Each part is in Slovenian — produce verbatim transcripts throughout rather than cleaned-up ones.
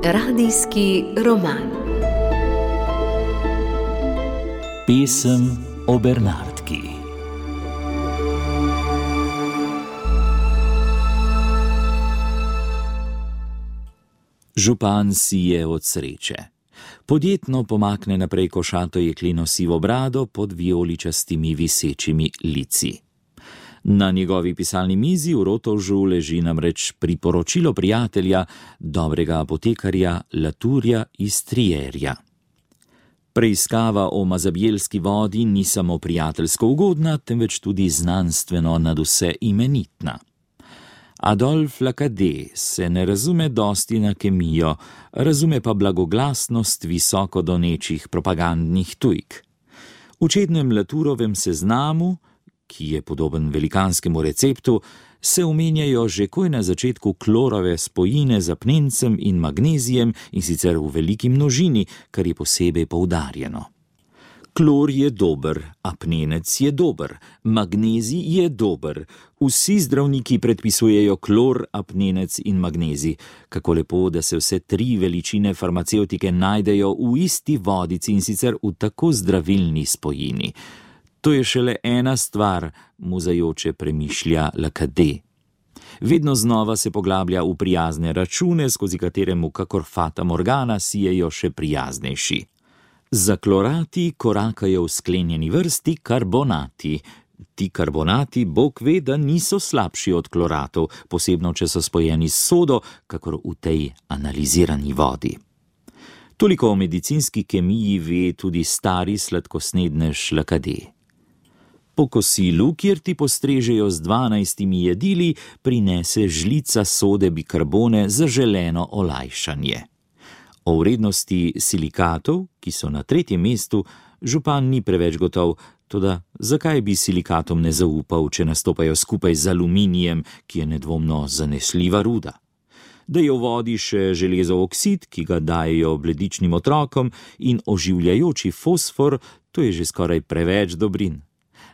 Radijski roman. Pesem o Bernardki. Župan sije od sreče. Podjetno pomakne naprej košato jekleno sivo brado pod vijoličastimi visečimi lici. Na njegovi pisalni mizi v rotovžu leži namreč priporočilo prijatelja, dobrega apotekarja Laturja iz Trierja. Preiskava o mazabjelski vodi ni samo prijateljsko ugodna, temveč tudi znanstveno nadvse imenitna. Adolf Lacadé se ne razume dosti na kemijo, razume pa blagoglasnost visoko donečih propagandnih tujk. V čednem Laturovem seznamu, ki je podoben velikanskemu receptu, se omenjajo že koj na začetku klorove spojine z apnencem in magnezijem, in sicer v veliki množini, kar je posebej poudarjeno. Klor je dober, apnenec je dober, magnezij je dober. Vsi zdravniki predpisujejo klor, apnenec in magnezij. Kako lepo, da se vse tri veličine farmacevtike najdejo v isti vodici, in sicer v tako zdravilni spojini. To je šele ena stvar, muzajoče premišlja Lacadé. Vedno znova se poglablja v prijazne račune, skozi katere mu kakor fata morgana sijejo še prijaznejši. Za klorati korakajo v sklenjeni vrsti karbonati. Ti karbonati, Bog ve, da niso slabši od kloratov, posebno če so spojeni s sodo, kakor v tej analizirani vodi. Toliko o medicinski kemiji ve tudi stari sladkosnednež Lacadé. Po kosilu, kjer ti postrežejo z dvanajstimi jedili, prinese žlica sode bikarbone za želeno olajšanje. O vrednosti silikatov, ki so na tretjem mestu, župan ni preveč gotov, toda zakaj bi silikatom ne zaupal, če nastopajo skupaj z aluminijem, ki je nedvomno zanesljiva ruda? Da je v vodi še železov oksid, ki ga dajejo bledičnim otrokom, in oživljajoči fosfor, to je že skoraj preveč dobrin.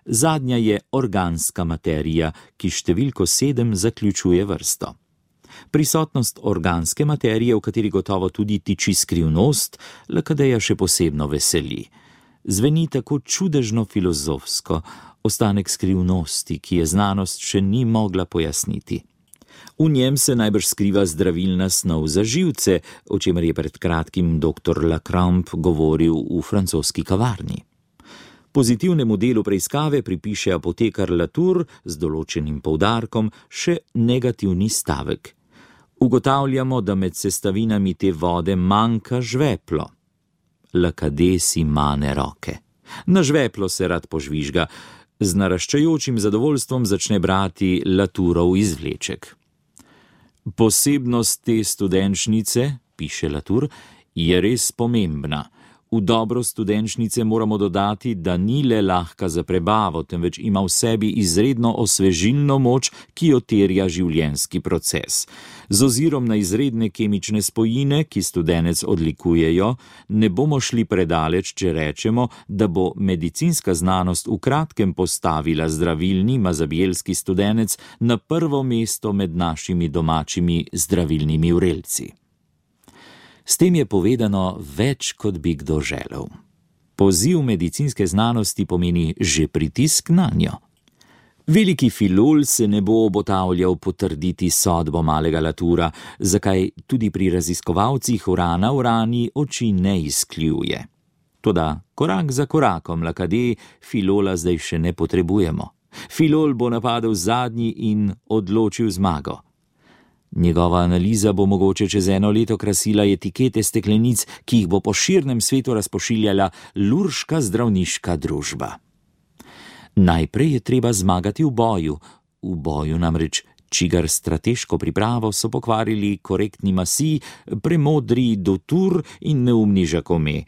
Zadnja je organska materija, ki številko sedem zaključuje vrsto. Prisotnost organske materije, v kateri gotovo tudi tiči skrivnost, Lacadéja še posebno veseli. Zveni tako čudežno filozofsko, ostanek skrivnosti, ki je znanost še ni mogla pojasniti. V njem se najbrž skriva zdravilna snov za živce, o čemer je pred kratkim doktor Lacrampe govoril v francoski kavarni. Pozitivnemu delu preiskave pripiše apotekar Latour z določenim poudarkom še negativni stavek. Ugotavljamo, da med sestavinami te vode manjka žveplo. Lacadé si mane roke. Na žveplo se rad požvižga. Z naraščajočim zadovoljstvom začne brati Latourov izvleček. Posebnost te studenčnice, piše Latour, je res pomembna. V dobro studenčnice moramo dodati, da ni le lahka za prebavo, temveč ima v sebi izredno osvežilno moč, ki jo terja življenjski proces. Z ozirom na izredne kemične spojine, ki studenec odlikujejo, ne bomo šli predaleč, če rečemo, da bo medicinska znanost v kratkem postavila zdravilni mazabjelski studenec na prvo mesto med našimi domačimi zdravilnimi vrelci. S tem je povedano več, kot bi kdo želel. Poziv medicinske znanosti pomeni že pritisk nanjo. Veliki filol se ne bo obotavljal potrditi sodbo malega Latoura, zakaj tudi pri raziskovalcih urana urani oči ne izkljuje. Toda korak za korakom, Lacadé, filola zdaj še ne potrebujemo. Filol bo napadel zadnji in odločil zmago. Njegova analiza bo mogoče čez eno leto krasila etikete steklenic, ki jih bo po širnem svetu razpošiljala Lurška zdravniška družba. Najprej je treba zmagati v boju, v boju namreč, čigar strateško pripravo so pokvarili korektni Masi, premodri Dutour in neumni Jacome.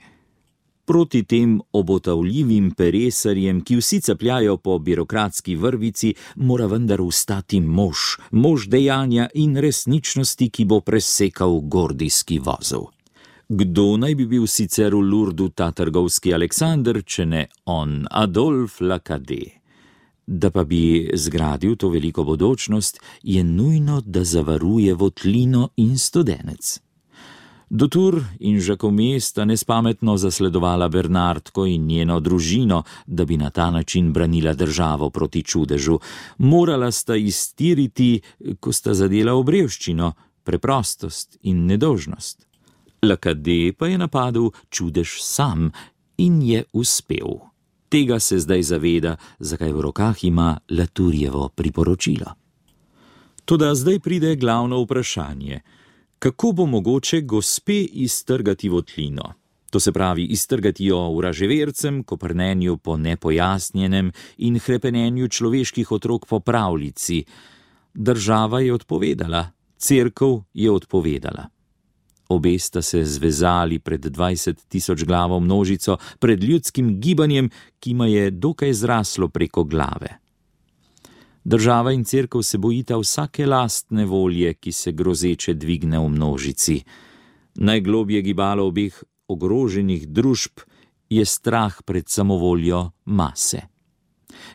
Proti tem obotavljivim peresarjem, ki vsi capljajo po birokratski vrvici, mora vendar ustati mož, mož dejanja in resničnosti, ki bo presekal gordijski vozel. Kdo naj bi bil sicer v Lourdu ta trgovski Aleksander, če ne on, Adolf Lacadé? Da pa bi zgradil to veliko bodočnost, je nujno, da zavaruje votlino in studenec. Dutour in Jacome sta nespametno zasledovala Bernardko in njeno družino, da bi na ta način branila državo proti čudežu. Morala sta iztiriti, ko sta zadela obrevščino, preprostost in nedolžnost. Lakade pa je napadel čudež sam in je uspel. Tega se zdaj zaveda, zakaj v rokah ima Latourjevo priporočilo. Toda zdaj pride glavno vprašanje. Kako bo mogoče gospe iztrgati votlino? To se pravi, iztrgati jo vraževercem, koprnenju po nepojasnjenem in hrepenenju človeških otrok po pravljici. Država je odpovedala, cerkev je odpovedala. Obe sta se zvezali pred dvajset tisoč glavo množico, pred ljudskim gibanjem, ki ma je dokaj zraslo preko glave. Država in cerkev se bojita vsake lastne volje, ki se grozeče dvigne v množici. Najglobje gibalo obeh ogroženih družb je strah pred samovoljo mase.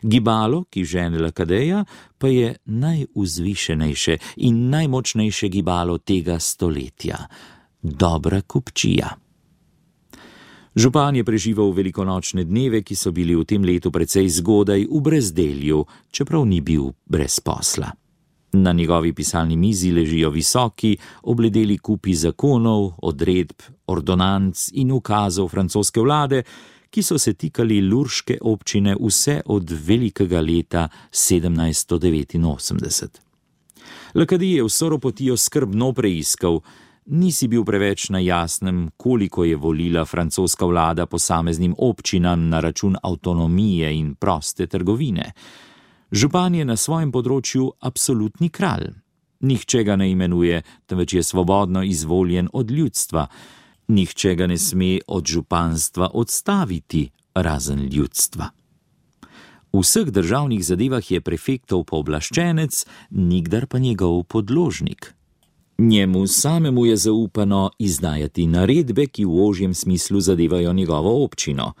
Gibalo, ki žene Lakadeja, pa je najvzvišenejše in najmočnejše gibalo tega stoletja. Dobra kupčija. Župan je preživel velikonočne dneve, ki so bili v tem letu precej zgodaj v brezdelju, čeprav ni bil brez posla. Na njegovi pisalni mizi ležijo visoki, obledeli kupi zakonov, odredb, ordonanc in ukazov francoske vlade, ki so se tikali lurške občine vse od velikega leta sedemnajststo devetinosemdeset. Lakadi je vso ropotijo skrbno preiskal. Nisi bil preveč na jasnem, koliko je volila francoska vlada posameznim občinam na račun avtonomije in proste trgovine. Župan je na svojem področju absolutni kralj. Nihče ga ne imenuje, temveč je svobodno izvoljen od ljudstva. Nihče ga ne sme od županstva odstaviti, razen ljudstva. V vseh državnih zadevah je prefektov pooblaščenec, nikdar pa njegov podložnik. Njemu samemu je zaupano izdajati naredbe, ki v ožjem smislu zadevajo njegovo občino.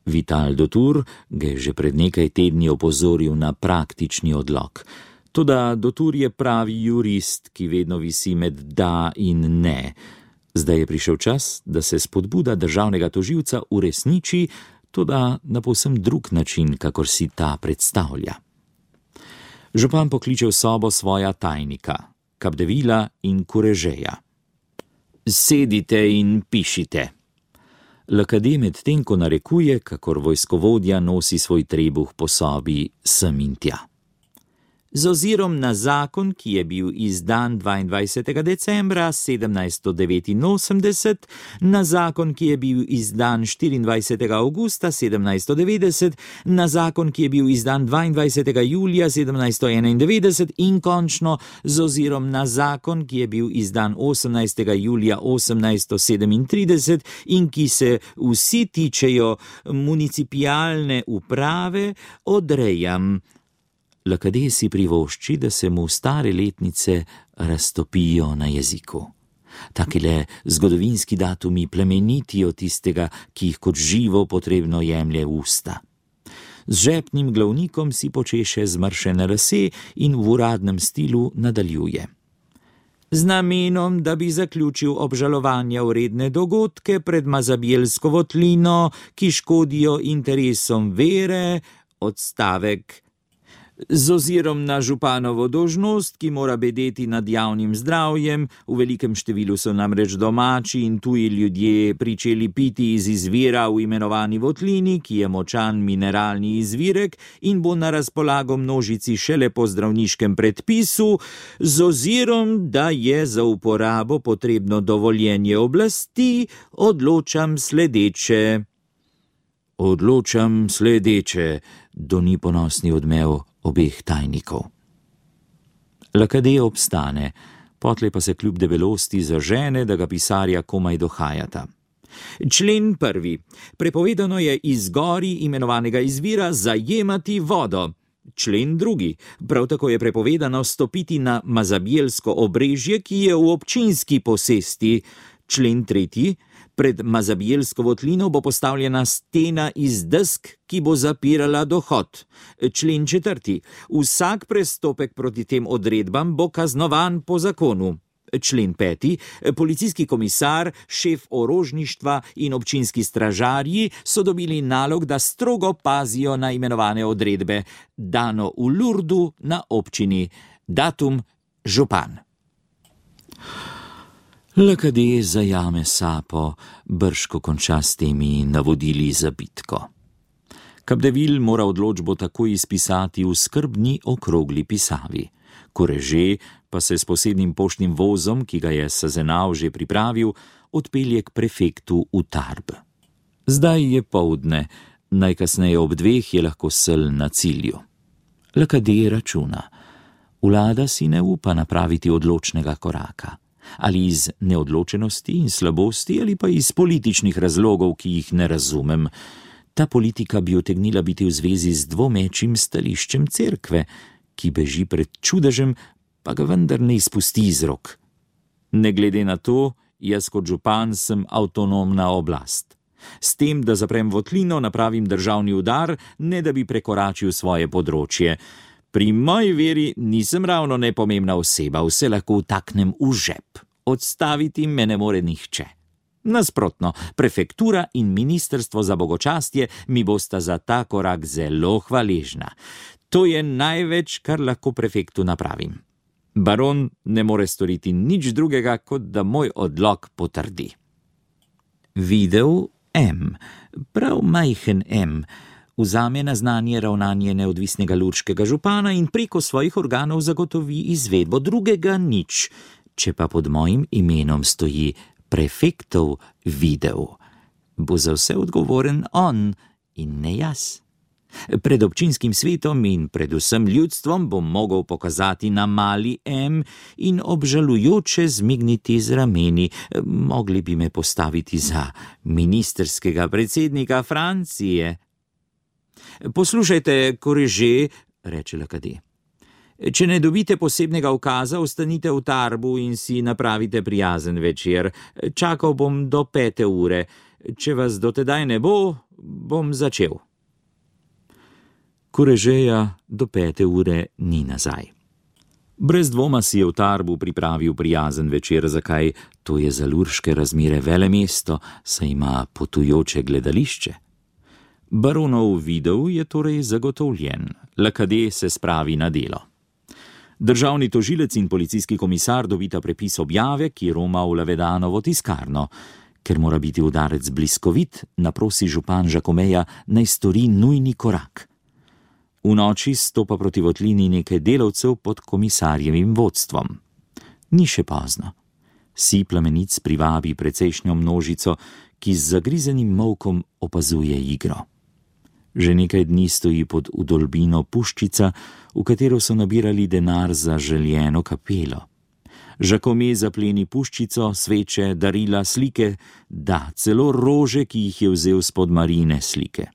Vital Dutour ga je že pred nekaj tedni opozoril na praktični odlok. Toda Dutour je pravi jurist, ki vedno visi med da in ne. Zdaj je prišel čas, da se spodbuda državnega tožilca uresniči, toda na povsem drug način, kakor si ta predstavlja. Župan pokliče v sobo svoja tajnika, Capdevila in Kurežeja. Sedite in pišite. Lakade medtem ko narekuje, kakor vojskovodja nosi svoj trebuh po sobi sem in tja. Z ozirom na zakon, ki je bil izdan dvaindvajsetega decembra sedemnajststo devetinosemdeset, na zakon, ki je bil izdan štiriindvajsetega avgusta sedemnajststo devetdeset, na zakon, ki je bil izdan dvaindvajsetega julija sedemnajststo enaindevetdeset in končno z ozirom na zakon, ki je bil izdan osemnajstega julija osemnajststo sedemintrideset in ki se vsi tičejo municipialne uprave, odrejam. Lakade si privošči, da se mu stare letnice raztopijo na jeziku. Takile zgodovinski datumi plemenitijo tistega, ki jih kot živo potrebno jemlje v usta. Z žepnim glavnikom si počeše zmršene lase in v uradnem stilu nadaljuje. Z namenom, da bi zaključil obžalovanja vredne dogodke pred Mazabjelsko votlino, ki škodijo interesom vere, odstavek. Z ozirom na županovo dolžnost, ki mora bedeti nad javnim zdravjem, v velikem številu so namreč domači in tuji ljudje pričeli piti iz izvira v imenovani votlini, ki je močan mineralni izvirek in bo na razpolago množici šele po zdravniškem predpisu, z ozirom, da je za uporabo potrebno dovoljenje oblasti, odločam sledeče. Odločam sledeče, doni ponosni odmev obeh tajnikov. Lakade obstane, potlej pa se kljub debelosti zažene, da ga pisarja komaj dohajata. Člen prvi. Prepovedano je iz gori imenovanega izvira zajemati vodo. Člen drugi. Prav tako je prepovedano stopiti na Mazabjelsko obrežje, ki je v občinski posesti. Člen tretji. Pred Mazabijelsko votlino bo postavljena stena iz desk, ki bo zapirala dohod. Člen četrti. Vsak prestopek proti tem odredbam bo kaznovan po zakonu. Člen peti. Policijski komisar, šef orožništva in občinski stražarji so dobili nalog, da strogo pazijo na imenovane odredbe. Dano v Lurdu na občini. Datum župan. L K D zajame sapo, brško konča s temi navodili za bitko. Capdeville mora odločbo takoj izpisati v skrbni okrogli pisavi. Koreže pa se s posebnim poštnim vozom, ki ga je Sazenau že pripravil, odpelje k prefektu v Tarbes. Zdaj je poldne, najkasneje ob dveh je lahko sel na cilju. L K D računa. Vlada si ne upa napraviti odločnega koraka. Ali iz neodločenosti in slabosti, ali pa iz političnih razlogov, ki jih ne razumem. Ta politika bi utegnila biti v zvezi z dvomečim stališčem cerkve, ki beži pred čudežem, pa ga vendar ne izpusti iz rok. Ne glede na to, jaz kot župan sem avtonomna oblast. S tem, da zaprem votlino, napravim državni udar, ne da bi prekoračil svoje področje. Pri moji veri nisem ravno nepomembna oseba, vse lahko vtaknem v žep. Odstaviti me ne more nihče. Nasprotno, prefektura in ministrstvo za bogočastje mi bosta za ta korak zelo hvaležna. To je največ, kar lahko prefektu napravim. Baron ne more storiti nič drugega, kot da moj odlok potrdi. Videl M, prav majhen M, vzame na znanje ravnanje neodvisnega lurškega župana in preko svojih organov zagotovi izvedbo, drugega nič. Če pa pod mojim imenom stoji prefektov videl, bo za vse odgovoren on in ne jaz. Pred občinskim svetom in predvsem ljudstvom bom mogel pokazati na mali M in obžalujoče zmigniti z rameni. Mogli bi me postaviti za ministerskega predsednika Francije. Poslušajte, Koreže, reče L K D. Če ne dobite posebnega ukaza, ostanite v Tarbu in si napravite prijazen večer. Čakal bom do pete ure. Če vas do tedaj ne bo, bom začel. Korežeja do pete ure ni nazaj. Brez dvoma si je v Tarbu pripravil prijazen večer, zakaj? To je za lurške razmere velemesto, saj ima potujoče gledališče. Baronov videl je torej zagotovljen. L K D se spravi na delo. Državni tožilec in policijski komisar dobita prepis objave, ki roma v Lavedanovo tiskarno. Ker mora biti udarec bliskovit, naprosi župan Žakomeja, naj stori nujni korak. V noči stopa proti votlini nekaj delavcev pod komisarjevim vodstvom. Ni še pozno. Si plamenic privabi precejšnjo množico, ki z zagrizenim molkom opazuje igro. Že nekaj dni stoji pod vdolbino puščica, v katero so nabirali denar za željeno kapelo. Žakome zapleni puščico, sveče, darila, slike, da, celo rože, ki jih je vzel spod Marine slike.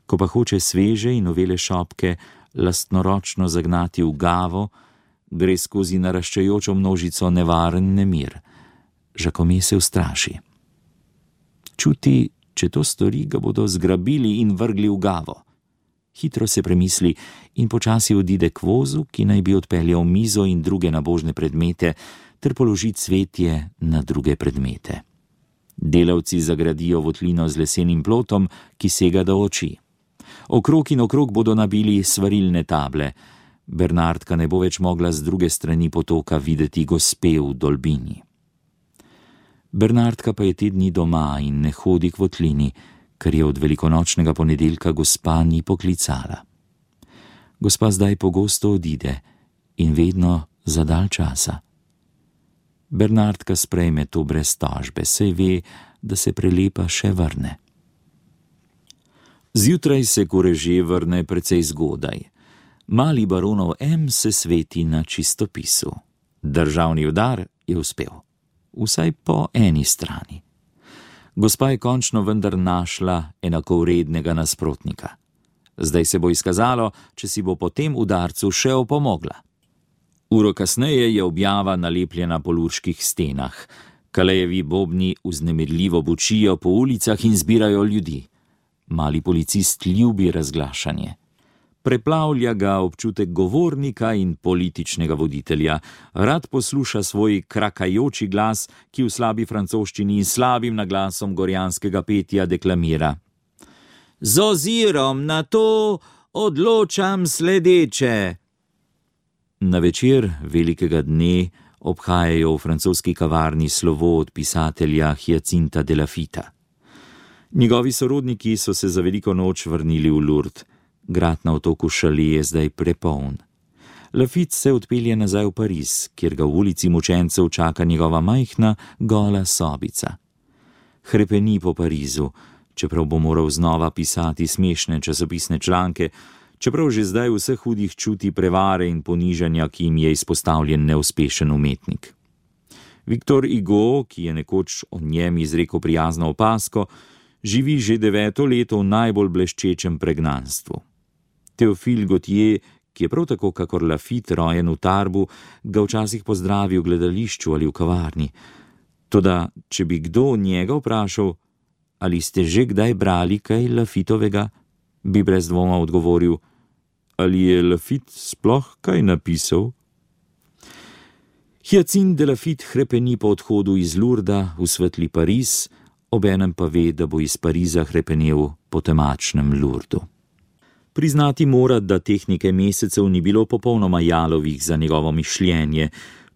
Ko pa hoče sveže in novele šopke lastnoročno zagnati v gavo, gre skozi naraščajočo množico nevaren nemir. Žakome se ustraši. Čuti, če to stori, ga bodo zgrabili in vrgli v gavo. Hitro se premisli in počasi odide k vozu, ki naj bi odpeljal mizo in druge nabožne predmete, ter položi cvetje na druge predmete. Delavci zagradijo votlino z lesenim plotom, ki sega do oči. Okrog in okrog bodo nabili svarilne table. Bernardka ne bo več mogla z druge strani potoka videti gospe v dolbini. Bernardka pa je te dni doma in ne hodi k votlini, ker je od velikonočnega ponedeljka gospa ni poklicala. Gospa zdaj pogosto odide in vedno za dalj časa. Bernardka sprejme to brez tožbe, saj ve, da se prelepa še vrne. Zjutraj se Koreže vrne precej zgodaj. Mali baronov M se sveti na čistopisu. Državni udar je uspel. Vsaj po eni strani. Gospa je končno vendar našla enakovrednega nasprotnika. Zdaj se bo izkazalo, če si bo po tem udarcu še opomogla. Uro kasneje je objava nalepljena po lurških stenah. Kalejevi bobni vznemirljivo bučijo po ulicah in zbirajo ljudi. Mali policist ljubi razglašanje. Preplavlja ga občutek govornika in političnega voditelja. Rad posluša svoj krakajoči glas, ki v slabi francoščini in slabim naglasom gorjanskega petja deklamira. Z ozirom na to odločam sledeče. Na večer velikega dne obhajajo v francoski kavarni slovo od pisatelja Hyacinta de Lafita. Njegovi sorodniki so se za veliko noč vrnili v Lourdes. Grad na otoku Šale je zdaj prepoln. Lafite se odpelje nazaj v Pariz, kjer ga v ulici mučencev čaka njegova majhna, gola sobica. Hrepeni po Parizu, čeprav bo moral znova pisati smešne časopisne članke, čeprav že zdaj vse hudih čuti prevare in ponižanja, ki jim je izpostavljen neuspešen umetnik. Victor Hugo, ki je nekoč o njem izrekel prijazno opazko, živi že deveto leto v najbolj bleščečem pregnanstvu. Théophile Gautier, ki je prav tako kakor Lafite rojen v Tarbu, ga včasih pozdravi v gledališču ali v kavarni. Toda, če bi kdo njega vprašal, ali ste že kdaj brali kaj Lafitovega, bi brez dvoma odgovoril, ali je Lafite sploh kaj napisal? Hyacinthe de Lafite hrepeni po odhodu iz Lourdesa v svetli Pariz, obenem pa ve, da bo iz Pariza hrepenel po temačnem Lourdesu. Priznati mora, da teh nekaj mesecev ni bilo popolnoma jalovih za njegovo mišljenje,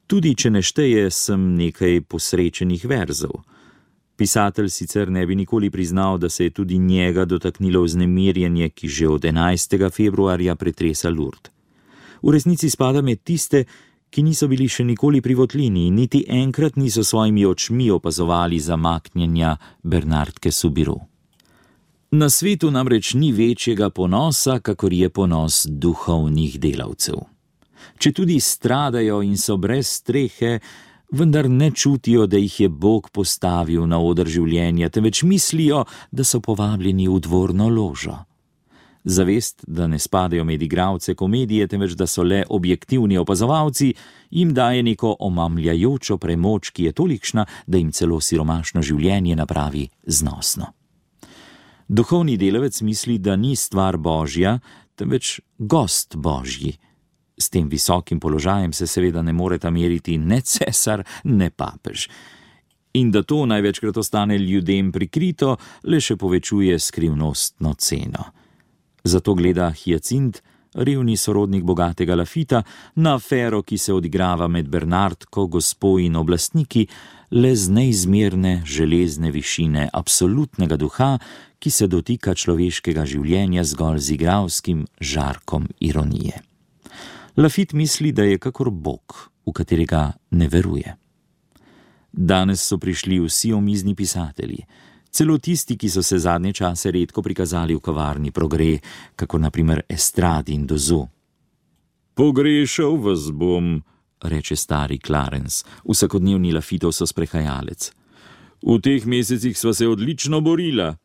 tudi če ne šteje sem nekaj posrečenih verzov. Pisatelj sicer ne bi nikoli priznal, da se je tudi njega dotaknilo vznemirjenje, ki že od enajstega februarja pretresa Lourdes. V resnici spada med tiste, ki niso bili še nikoli pri votlini in niti enkrat niso svojimi očmi opazovali zamaknjenja Bernardke Soubirous. Na svetu namreč ni večjega ponosa, kakor je ponos duhovnih delavcev. Če tudi stradajo in so brez strehe, vendar ne čutijo, da jih je Bog postavil na oder življenja, temveč mislijo, da so povabljeni v dvorno ložo. Zavest, da ne spadajo med igralce komedije, temveč da so le objektivni opazovalci, jim daje neko omamljajočo premoč, ki je tolikšna, da jim celo siromašno življenje napravi znosno. Duhovni delavec misli, da ni stvar Božja, temveč gost Božji. S tem visokim položajem se seveda ne moreta meriti ne cesar, ne papež. In da to največkrat ostane ljudem prikrito, le še povečuje skrivnostno ceno. Zato gleda Hyacinthe, revni sorodnik bogatega Lafita, na afero, ki se odigrava med Bernardko, gospo in oblastniki, le z neizmerne železne višine absolutnega duha, ki se dotika človeškega življenja zgolj z igralskim žarkom ironije. Lafite misli, da je kakor Bog, v katerega ne veruje. Danes so prišli vsi omizni pisatelji, celo tisti, ki so se zadnje čase redko prikazali v kavarni Progrès, kako naprimer Estrade in Dozu. Pogrešal vas bom, reče stari Clarence, vsakodnevni Lafitov so sprehajalec. V teh mesecih sva se odlično borila,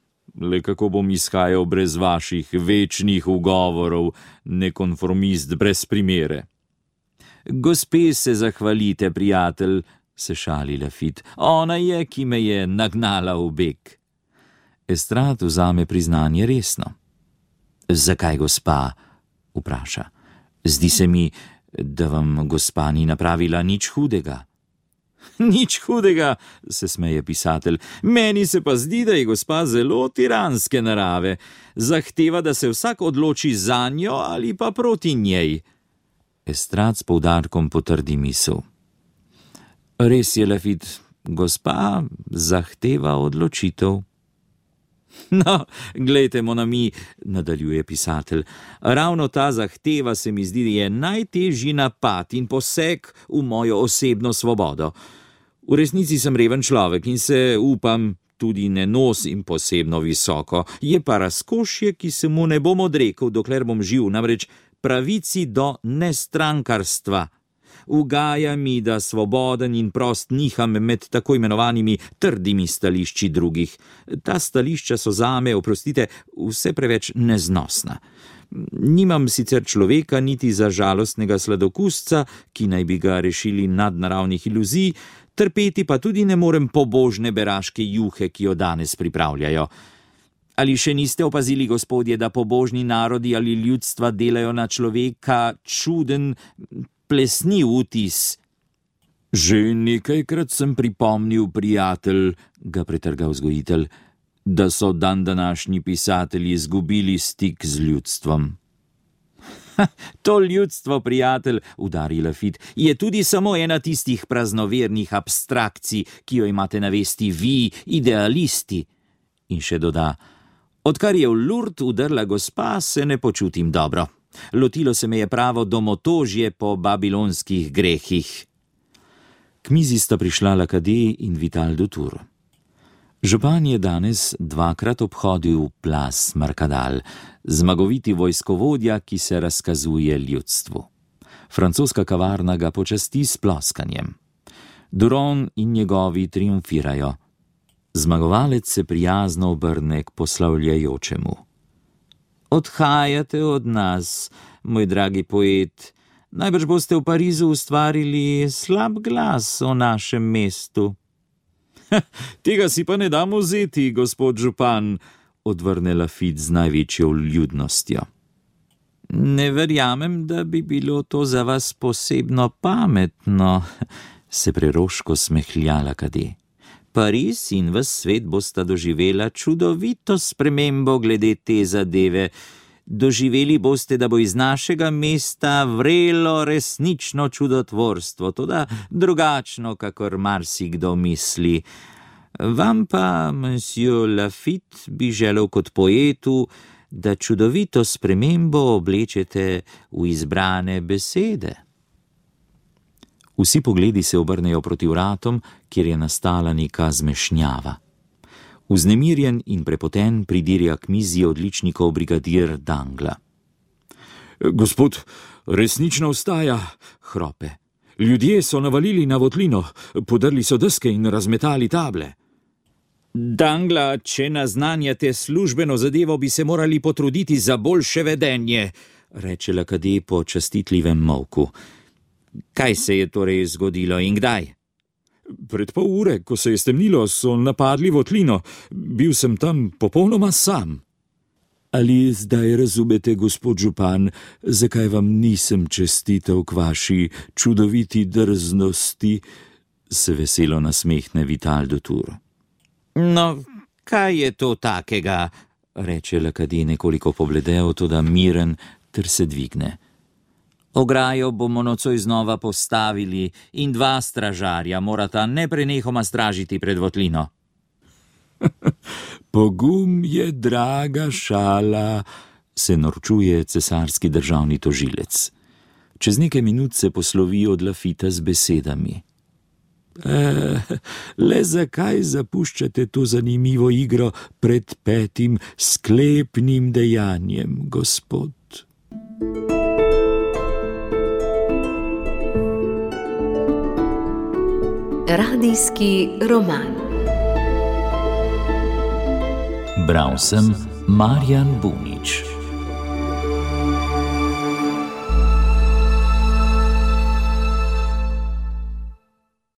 le kako bom izhajal brez vaših večnih ugovorov, nekonformist brez primere. Gospe se zahvalite, prijatelj, se šali Lafite, ona je, ki me je nagnala v beg. Estrade vzame priznanje resno. Zakaj, gospa? Vpraša. Zdi se mi, da vam gospa ni napravila nič hudega. Nič hudega, se smeje pisatelj. Meni se pa zdi, da je gospa zelo tiranske narave. Zahteva, da se vsak odloči za njo ali pa proti njej. Estrade s poudarkom potrdi misel. Res je, Lafite, gospa zahteva odločitev. No, glejte, mon ami, nadaljuje pisatelj, ravno ta zahteva se mi zdi, da je najtežji napad in poseg v mojo osebno svobodo. V resnici sem reven človek in se, upam, tudi ne nosim posebno visoko. Je pa razkošje, ki se mu ne bom odrekel, dokler bom živ, namreč pravici do nestrankarstva. Ugaja mi, da svoboden in prost niham med tako imenovanimi trdimi stališči drugih. Ta stališča so zame, oprostite, vse preveč neznosna. Nimam sicer človeka niti za žalostnega sladokusca, ki naj bi ga rešili nadnaravnih iluzij, trpeti pa tudi ne morem pobožne beraške juhe, ki jo danes pripravljajo. Ali še niste opazili, gospodje, da pobožni narodi ali ljudstva delajo na človeka čuden, plesniv vtis? Že nekajkrat sem pripomnil, prijatelj, ga pretrgal vzgojitelj, da so dandanašnji pisatelji izgubili stik z ljudstvom. Ha, to ljudstvo, prijatelj, udari Lafitte, je tudi samo ena tistih praznovernih abstrakcij, ki jo imate na vesti vi, idealisti. In še doda, odkar je v Lourdes udrla gospa, se ne počutim dobro. Lotilo se me je pravo domotožje po babilonskih grehih. K mizi sta prišla Lakadé in Vital de Tour. Župan je danes dvakrat obhodil Place Mercadal, zmagoviti vojskovodja, ki se razkazuje ljudstvu. Francoska kavarna ga počasti s ploskanjem. Duron in njegovi triumfirajo. Zmagovalec se prijazno obrne k poslavljajočemu. Odhajate od nas, moj dragi poet. Najbrž boste v Parizu ustvarili slab glas o našem mestu. Tega si pa ne dam vzeti, gospod župan, odvrne Lafitte z največjo vljudnostjo. Ne verjamem, da bi bilo to za vas posebno pametno, se preroško smehlja Lakadé. Pariz in ves svet bosta doživela čudovito spremembo glede te zadeve. Doživeli boste, da bo iz našega mesta vrelo resnično čudotvorstvo, toda drugačno, kakor marsikdo misli. Vam pa, monsieur Lafitte, bi želel kot poetu, da čudovito spremembo oblečete v izbrane besede. Vsi pogledi se obrnejo proti vratom, kjer je nastala neka zmešnjava. Vznemirjen in prepoten pridirja k mizi odličnikov brigadir Dangla. Gospod, resnično vstaja, hrope. Ljudje so navalili na votlino, podrli so deske in razmetali table. Dangla, če naznanjate službeno zadevo, bi se morali potruditi za boljše vedenje, reče Lakadé po častitljivem molku. Kaj se je torej zgodilo in kdaj? Pred pol ure, ko se je stemnilo, so napadli votlino. Bil sem tam popolnoma sam. Ali zdaj razumete, gospod župan, zakaj vam nisem čestital k vaši čudoviti drznosti? Se veselo nasmehne Vital de Tour. No, kaj je to takega? Reče Lakadé nekoliko pobledel, toda miren, ter se dvigne. Ograjo bomo nocoj znova postavili in dva stražarja morata neprenehoma stražiti pred votlino. Pogum je draga šala, se norčuje cesarski državni tožilec. Čez nekaj minut se poslovi od Lafitta z besedami. E, le zakaj zapuščate to zanimivo igro pred petim sklepnim dejanjem, gospod? Radijski roman. Bral sem Marjan Bunič.